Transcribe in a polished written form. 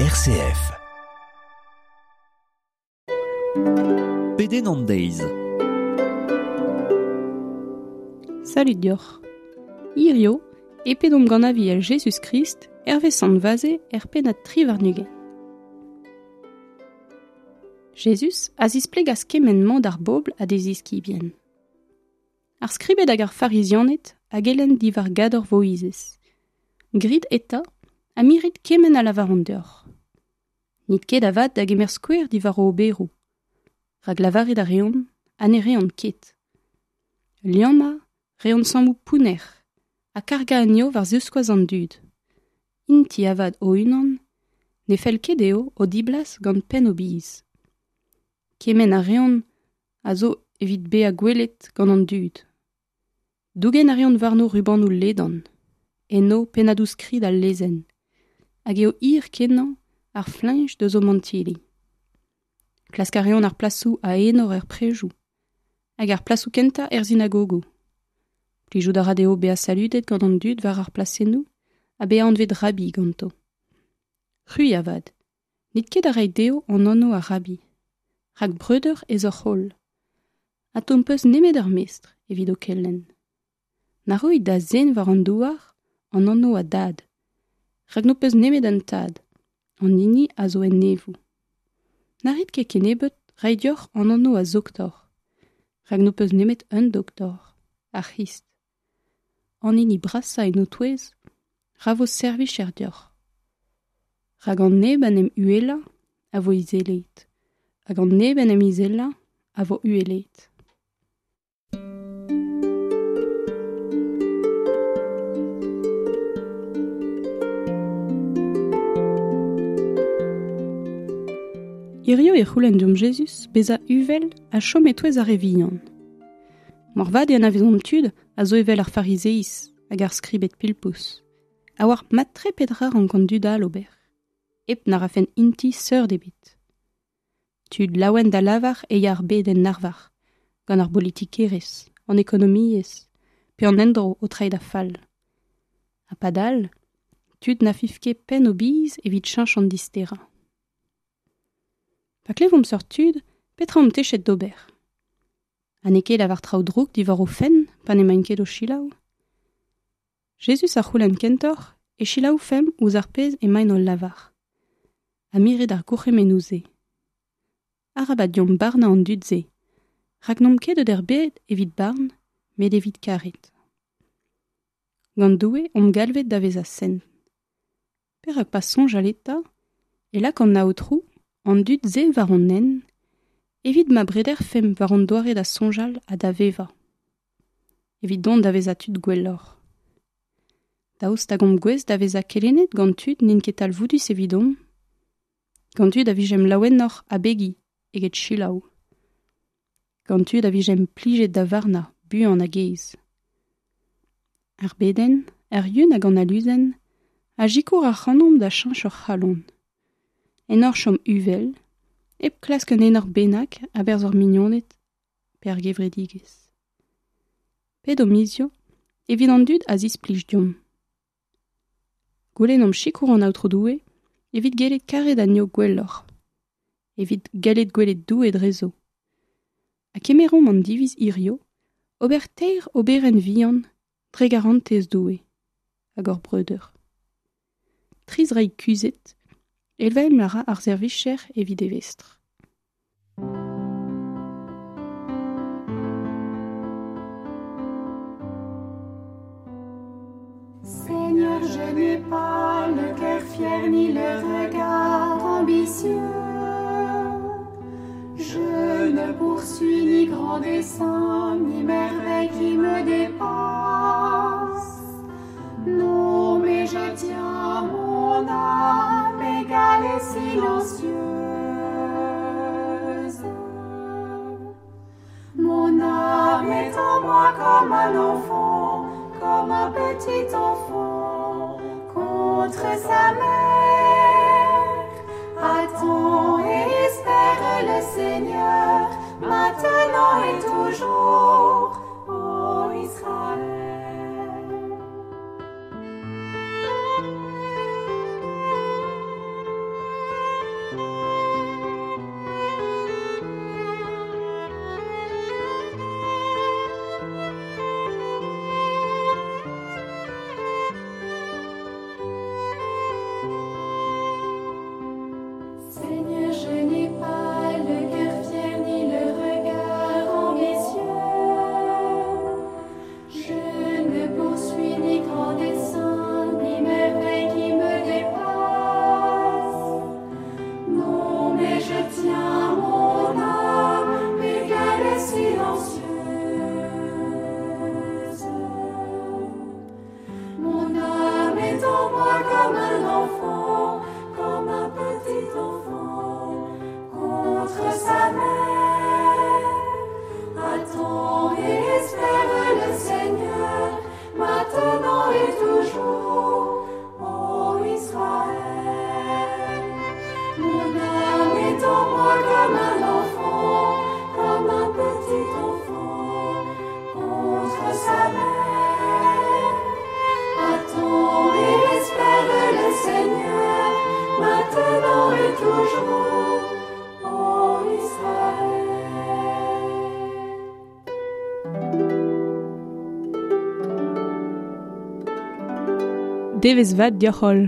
RCF. Pedenn an deiz. Salud deoc'h. Hirio e pedomp gant aviel Jezuz-Krist hervez Sant Vaze er pennad 23. Jezuz a zisplegas kement-mañ d'ar bobl ha d'e ziskibien. Ar skribed hag ar farizianed a gelenn diwar gador Voizez. Grit eta ha mirit kement a lavaront deoc'h. N'it ket avat da gemer skouer diwar o oberoù, rak lavaret a reont ha ne reont ket. Liammañ reont sammoù pounner ha kargañ anezho war ziskoaz an dud. Int-i avat o-unan ne fell ket dezho o diblas gant penn o biz. Kement a reont a zo evit bezañ gwelet gant an dud. Dougen a reont warno rubanoù ledan, enno pennadoù-skrid al lezenn, hag eo hir-kenañ ar fleñch deus o mantilli. Klask a reont ar plasoù a enor er prejoù, hag ar plasoù kentañ er sinagogoù. Plijout a ra dezho bezañ saludet gant an dud war ar plasennoù ha bezañ anvet rabbi ganto. C'hwi avat, n'it ket da reiñ dezho an anv a rabbi, rak breudeur ez oc'h holl, ha n'ho peus nemet ur mestr evit ho kelenn. Na roit da zen war an douar an anv a dad, rak n'ho peus nemet un tad, an hini a zo en neñvoù. Na rit ket kennebeut reiñ deoc'h an anv a zoktor, rak n'ho peus nemet un doktor, ar C'hrist. An hini brasañ en ho touez, ra vo servijer deoc'h. Rak an neb en em uhelañ a vo izelaet, hag an neb en em izelañ a vo uhelaet. Hirio e c'houlenn deomp Jezuz bezañ uvel ha chom e-touez ar re vihan. Moarvat e anavezomp tud a zo evel ar farizeiz hag ar skribed pilpous, a oar mat-tre petra rank an dud all ober, hep na rafen int-i seurt ebet. Tud laouen da lavar e ya ar bed en arvar, gant ar bolitikerezh, an ekonomiezh, pe an endro o treiñ da fall. Ha padal, tud na fiv ket penn o biz evit cheñch an disterañ. Pa klevomp seurt tud, petra omp techet d'ober? Ha n'eo ket lavar traoù drouk diwar o fenn pa n'emaint ket o selaou? Jezuz a c'houlenn kentoc'h e selaoufemp ouzh ar pezh emaint o lavar, ha miret ar gourc'hemennoù-se. Arabat deomp barnañ an dud-se, rak n'omp ket deut er bed evit barn, met evit karet. Gant Doue omp galvet da vezañ sent. Perak pas soñjal eta e lak an Aotrou an dud-se war hon hent evit ma brederfemp war hon doare da soñjal ha da vevañ, evit dont da vezañ tud gwelloc'h. Daoust hag omp gouest da vezañ kelennet gant tud n'int ket talvoudus evidomp? Gant tud a vijemp laouenoc'h abegiñ eget selaou. Gant tud a vijemp plijet da varnañ buan hag aes. Ar bedenn, ar yun hag an aluzenn a sikour ac'hanomp da cheñch hor c'halon. En ur chom uvel, hep klask un enor bennak a-berzh hor mignoned pe ar gevredigezh. Pedomp hiziv evit an dud a zisplij deomp. Goulennomp sikour an Aotrou Doue evit gellet karet anezho gwelloc'h, evit gallet gwelet Doue drezo. Ha kemeromp an diviz hirio ober teir oberenn vihan dre garantez Doue hag hor breudeur. Tri zraig kuzhet, evel ma ra ar servijer evit e vestr. Seigneur, je n'ai pas le cœur fier ni le regard ambitieux. Je ne poursuis ni grand dessein, ni merveille qui me dépasse. Non, mais je tiens mon âme égale et silencieuse. Mon âme est en moi comme un enfant, comme un petit enfant contre sa mère. Attends et espère le Seigneur, maintenant et toujours, ô Israël. devezh vat deoc'h holl.